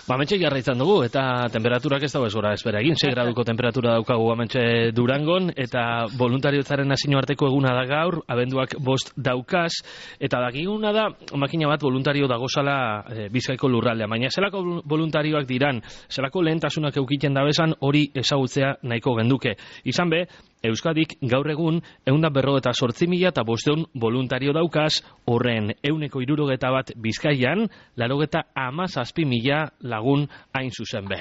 Hementxe jarraitzen dugu, eta temperaturak ez dago ez gora espera egin, 6 graduko temperatura daukagu hementxe Durangon, eta voluntariotzaren hasino arteko eguna da gaur, abenduak 5 daukaz, eta dagiguna da, makina bat voluntario dagozala Bizkaiko lurraldea, baina zelako voluntarioak diran, zelako lehentasunak eukiten dabezan, hori ezagutzea nahiko genduke. Izan be, Euskadik gaur egun 148.500 voluntario daukaz, horren 161 Bizkaian, 97.000 lagun hain zuzen be.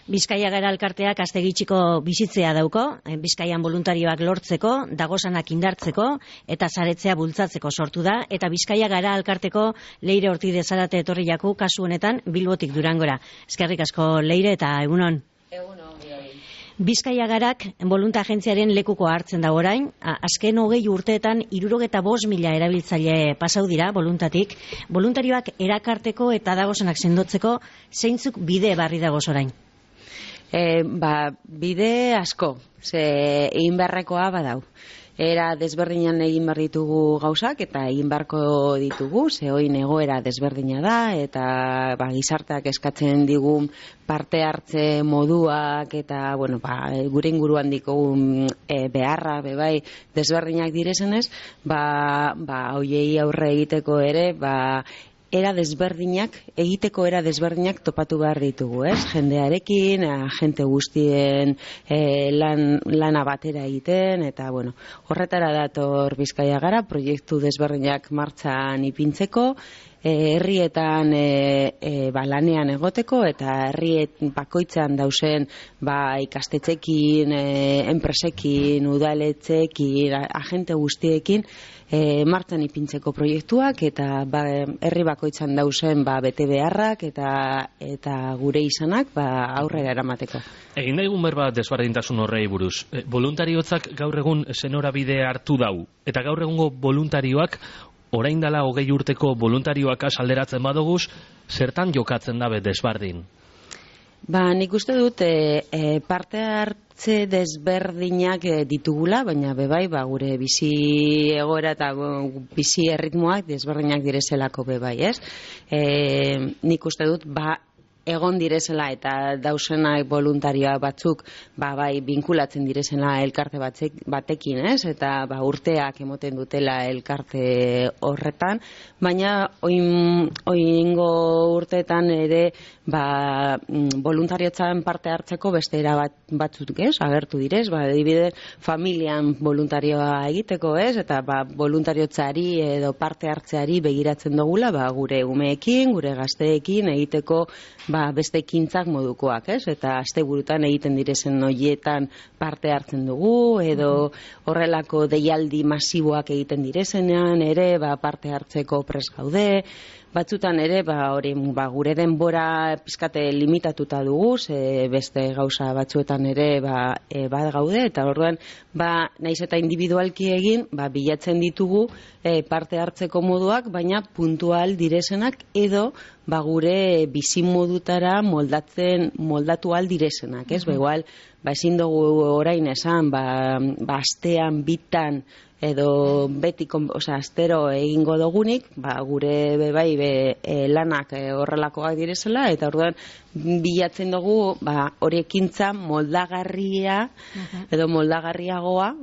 Bizkaia Gara elkarteak astegitxiko bizitzea dauko, Bizkaian voluntarioak lortzeko, dagozanak indartzeko eta saretzea bultzatzeko sortu da, eta Bizkaia Gara elkarteko Leire Ortide Zarate etorri jaku kasu honetan Bilbotik Durangora. Eskerrik asko Leire eta egunon. Egunon. Bizkaia Garak voluntagentziaren lekuko hartzen da orain, azken 20 urteetan 75.000 erabiltzaile pasau dira voluntatik. Voluntarioak erakarteko eta dagozanak sendotzeko zeintzuk bide barri dagoz orain? Bide asko, ze egin beharrekoa badau. Era desberdinan egin behar ditugu gauzak eta egin beharko ditugu, ze oin egoera desberdina da eta gizarteak eskatzen digun parte hartze moduak eta gure inguruan dikogun beharra bebai desberdinak direzenez, hoiei aurre egiteko ere era desberdinak topatu behar ditugu, ez? Jendearekin, jente guztien lana batera egiten, eta horretara dator Bizkaia Gara, proiektu desberdinak martxan ipintzeko, herrietan lanean egoteko eta herriet bakoitzan dauzen ikastetxekin, enpresekin, udaletxeekin, agente guztiekin martxan ipintzeko proiektuak eta herri bakoitzan dauzen bete beharrak eta gure izanak aurrera eramateko. Egin daigun berba desberdintasun horrei buruz. Voluntariozak gaur egun zenorabide hartu dau, eta gaur egungo voluntarioak orain dela 20 urteko voluntarioak alderatzen badoguz, zertan jokatzen dabe desberdin? Nik uste dut parte hartze desberdinak ditugula, baina bebai gure bizi egoera eta bizi erritmoak desberdinak direzelako bebai, ez? Nik uste dut egon direzela eta dausenak voluntarioa batzuk binkulatzen direzela elkarte batekin, ez? Eta urteak emoten dutela elkarte horretan, baina oingo urteetan ere voluntariotzan parte hartzeko beste era batzuk, ez? Agertu direz, adibidez, familian voluntarioa egiteko, ez? Eta voluntariotzari edo parte hartzeari begiratzen dugula, gure umeekin, gure gazteekin egiteko beste ekintzak modukoak, ez? Eta asteburutan egiten direzen horietan parte hartzen dugu, edo horrelako deialdi masiboak egiten direzenean ere parte hartzeko pres gaude. Batzutan ere, gure denbora pizkate limitatuta dugu, beste gauza batzuetan ere gaude, eta orduan, naiz eta individualki egin, bilatzen ditugu parte hartzeko moduak, baina puntual direzenak edo gure bizimodutara moldatu al direzenak, ez? Igual, ezin dugu orain esan, astean bitan edo beti, astero egingo dugunik, gure lanak horrelakoak direzela, eta orduan bilatzen dugu hori ekintza moldagarria edo moldagarriagoa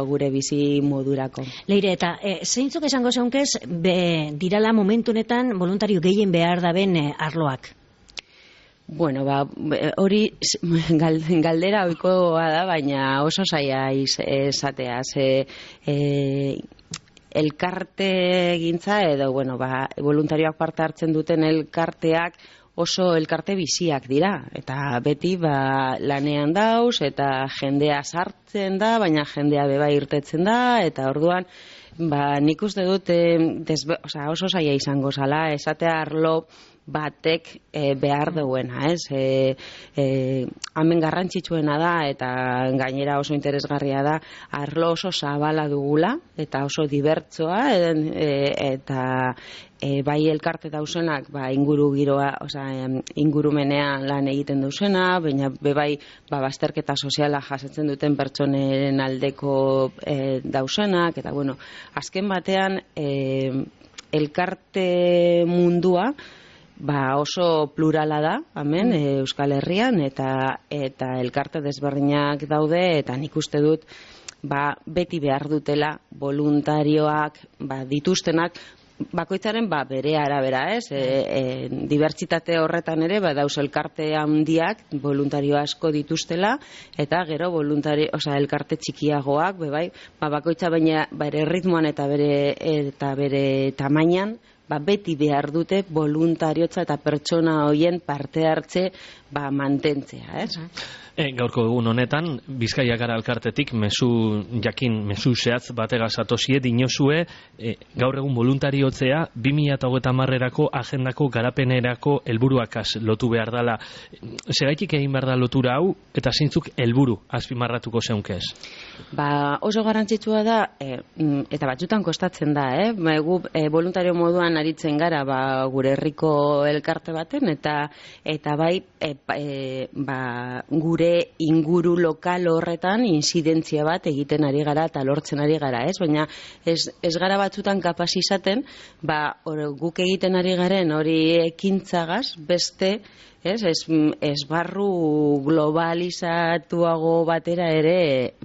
gure bizi modurako. Leire, eta zeintzuk esango zeunkez dirala momentu honetan voluntario gehien behar daben arloak? Hori galdera ohikoa da, baina oso zaila esatea. Elkarte gintza edo, voluntarioak parte hartzen duten elkarteak oso elkarte biziak dira. Eta beti lanean dauz, eta jendea sartzen da, baina jendea beba irtetzen da, eta orduan, nik uste dut oso zaila izango zala, esatea arlo batek behar duena, ez? Hemen garrantzitsuena da eta gainera oso interesgarria da, arlo oso zabala dugula eta oso dibertsoa eta bai elkarte dauzenak inguru giroa, ingurumenean lan egiten duzena, baina bai bazterketa soziala jasatzen duten pertsonen aldeko dauzenak, eta azken batean elkarte mundua oso plurala da, hemen, Euskal Herrian, eta elkarte desberdinak daude, eta nik uste dut, beti behar dutela voluntarioak, dituztenak, bakoitzaren bere arabera, ez? Dibertsitate horretan ere, dauz elkarte handiak, voluntario asko dituztela, eta gero elkarte txikiagoak, bakoitza baina bere ritmoan eta bere tamainan, beti behar dute voluntariotza eta pertsona hoien parte hartze mantentzea, ez? Gaurko egun honetan, Bizkaia Gara elkartetik mezu zehatz bategaz atosie dinozue, gaur egun voluntariotzea 2030erako agendako garapenerako helburuakaz lotu behar dela. Segaitik egin behar da lotura hau, eta zeintzuk helburu azpimarratuko zeunkez? Oso garrantzitsua da, eta batzutan kostatzen da, gu voluntario moduan aritzen gara gure herriko elkarte baten, eta gure inguru lokal horretan inzidentzia bat egiten ari gara eta lortzen ari gara, ez? Baina ez gara batzutan kapaz izaten, guk egiten ari garen hori ekintzagaz, beste, esbarru globalizatuago batera ere,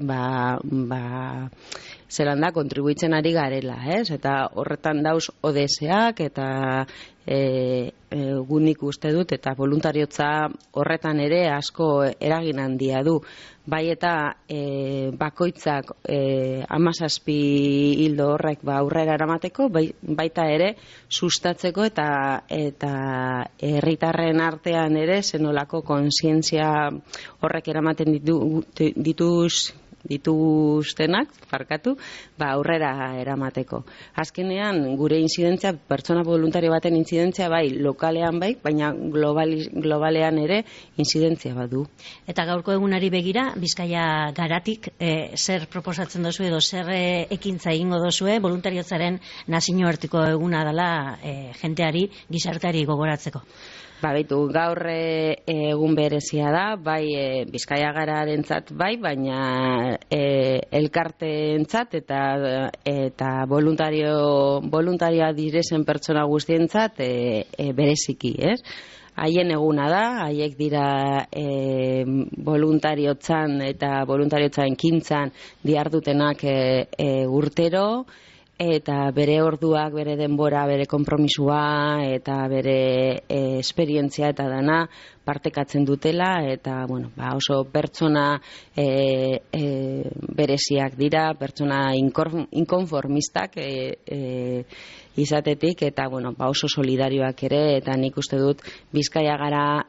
zelan da, kontribuitzen ari garela, ez? Eta horretan dauz ODS-ak eta nik uste dut, eta voluntariotza horretan ere asko eragin handia du. Bai eta bakoitzak 17 hildo horrek aurrera eramateko, baita ere sustatzeko eta herritarren artean ere zenolako kontzientzia horrek eramaten dituztenak, aurrera eramateko. Azkenean, gure inzidentzia, pertsona voluntario baten inzidentzia, lokalean baina globalean ere inzidentzia badu. Eta gaurko egunari begira, Bizkaia Garatik, zer proposatzen dozu edo zer ekintza egingo dozue, voluntariotzaren nazioarteko eguna dela jenteari, gizarteari gogoratzeko? Gaur egun berezia da, Bizkaia Gararentzat baina elkarteentzat eta voluntarioa direzen pertsona guztientzat bereziki, ez? Haien eguna da, haiek dira voluntariotzan eta voluntariotzan kintzan diardutenak urtero, eta bere orduak, bere denbora, bere konpromisua eta bere esperientzia eta dana partekatzen dutela, eta oso pertsona bereziak dira, pertsona inkonformistak izatetik, eta oso solidarioak ere, eta nik uste dut Bizkaia Gara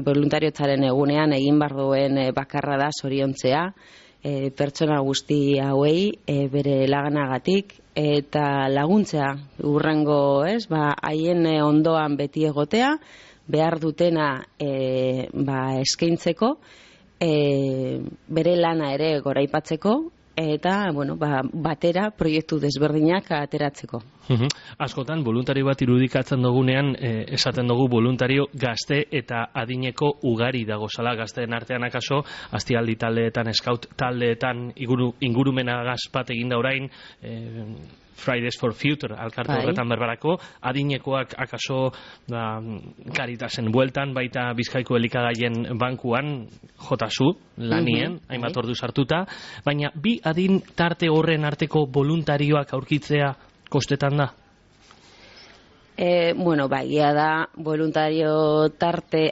voluntariotzaren egunean egin behar duen bakarra da zoriontzea, pertsona guzti hauei bere laganagatik eta laguntzea urrengo, haien ondoan beti egotea, behar dutena eskaintzeko, bere lana ere goraipatzeko, eta batera proiektu desberdinak ateratzeko. Askotan, voluntario bat irudikatzen dugunean, esaten dugu voluntario gazte eta adineko ugari dagozala, gazteen artean akaso, aztialdi taldeetan, scout taldeetan, ingurumena gazpat eginda orain, Fridays for Future alkarte horretan berbarako, adinekoak akaso Caritasen bueltan, baita Bizkaiko elikagaien bankuan jotazu, lanien, hainbat ordu sartuta, baina bi adin tarte horren arteko voluntarioak aurkitzea kostetan da? Egia da, voluntario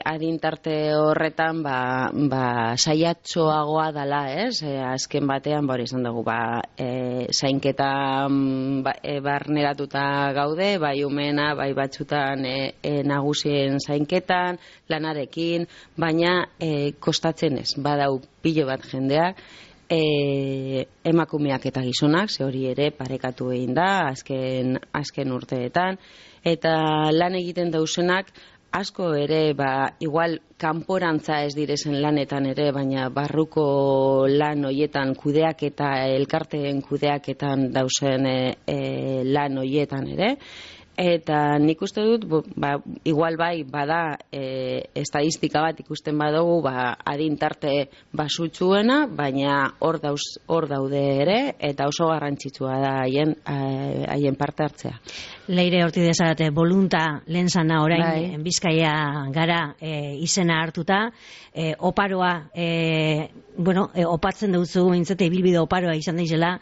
adin tarte horretan, saiatxoagoa dala, ez? Azken batean, izan dugu, zainketa barneratuta gaude, bai umena, bai batzutan nagusien zainketan, lanarekin, baina kostatzen ez, badau pilo bat jendeak, emakumeak eta gizonak, ze hori ere parekatu egin da, azken urteetan, eta lan egiten dauzenak asko ere, igual kanporantza ez direzen lanetan ere, baina barruko lan hoietan kudeak eta elkarteen kudeaketan dauzen lan hoietan ere, Eta nik uste dut, igual bai, bada estadistika bat ikusten badugu, adin tarte basutsuena, baina hor daude ere, eta oso garrantzitsua da haien parte hartzea. Leire Ortidez Zarate, bolunta lehen zana orain, Bizkaia gara izena hartuta, oparoa, opatzen duzu, mintzete, ibilbide oparoa izan daizela,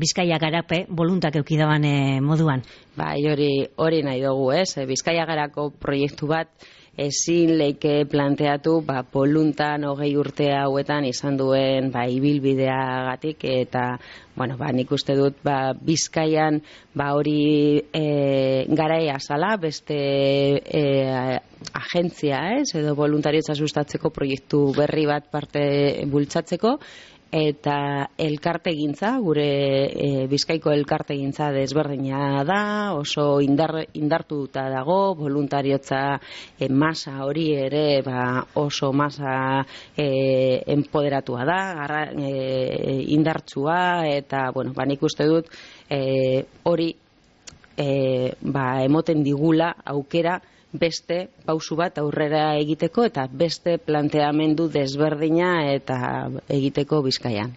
Bizkaia garape, boluntak eukidaban moduan. Bai, hori nahi dugu, ez? Bizkaia garako proiektu bat ezin leike planteatu, boluntan 20 urte hauetan izan duen ibilbideagatik, eta nik uste dut Bizkaian hori garaia zala, beste agentzia, ez? Edo voluntariotza sustatzeko proiektu berri bat parte bultzatzeko, eta elkartegintza, gure Bizkaiko elkartegintza desberdina da, oso indartuta dago, voluntariotza masa hori ere oso masa empoderatua da, indartsua, eta nik uste dut hori emoten digula aukera beste pausu bat aurrera egiteko eta beste planteamendu desberdina eta egiteko Bizkaian.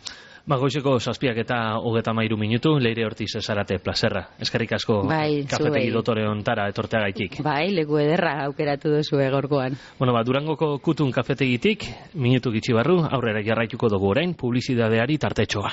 Goizeko 7:33 minutu, Leire Ortiz Zarate, plazerra. Eskerrik asko kafetegi dotore hontara etorteagaitik. Leku ederra aukeratu duzu gaurkoan. Durangoko Kutun kafetegitik, minutu gitxi barru, aurrera jarraituko dugu orain, publizidadeari tartetxoa.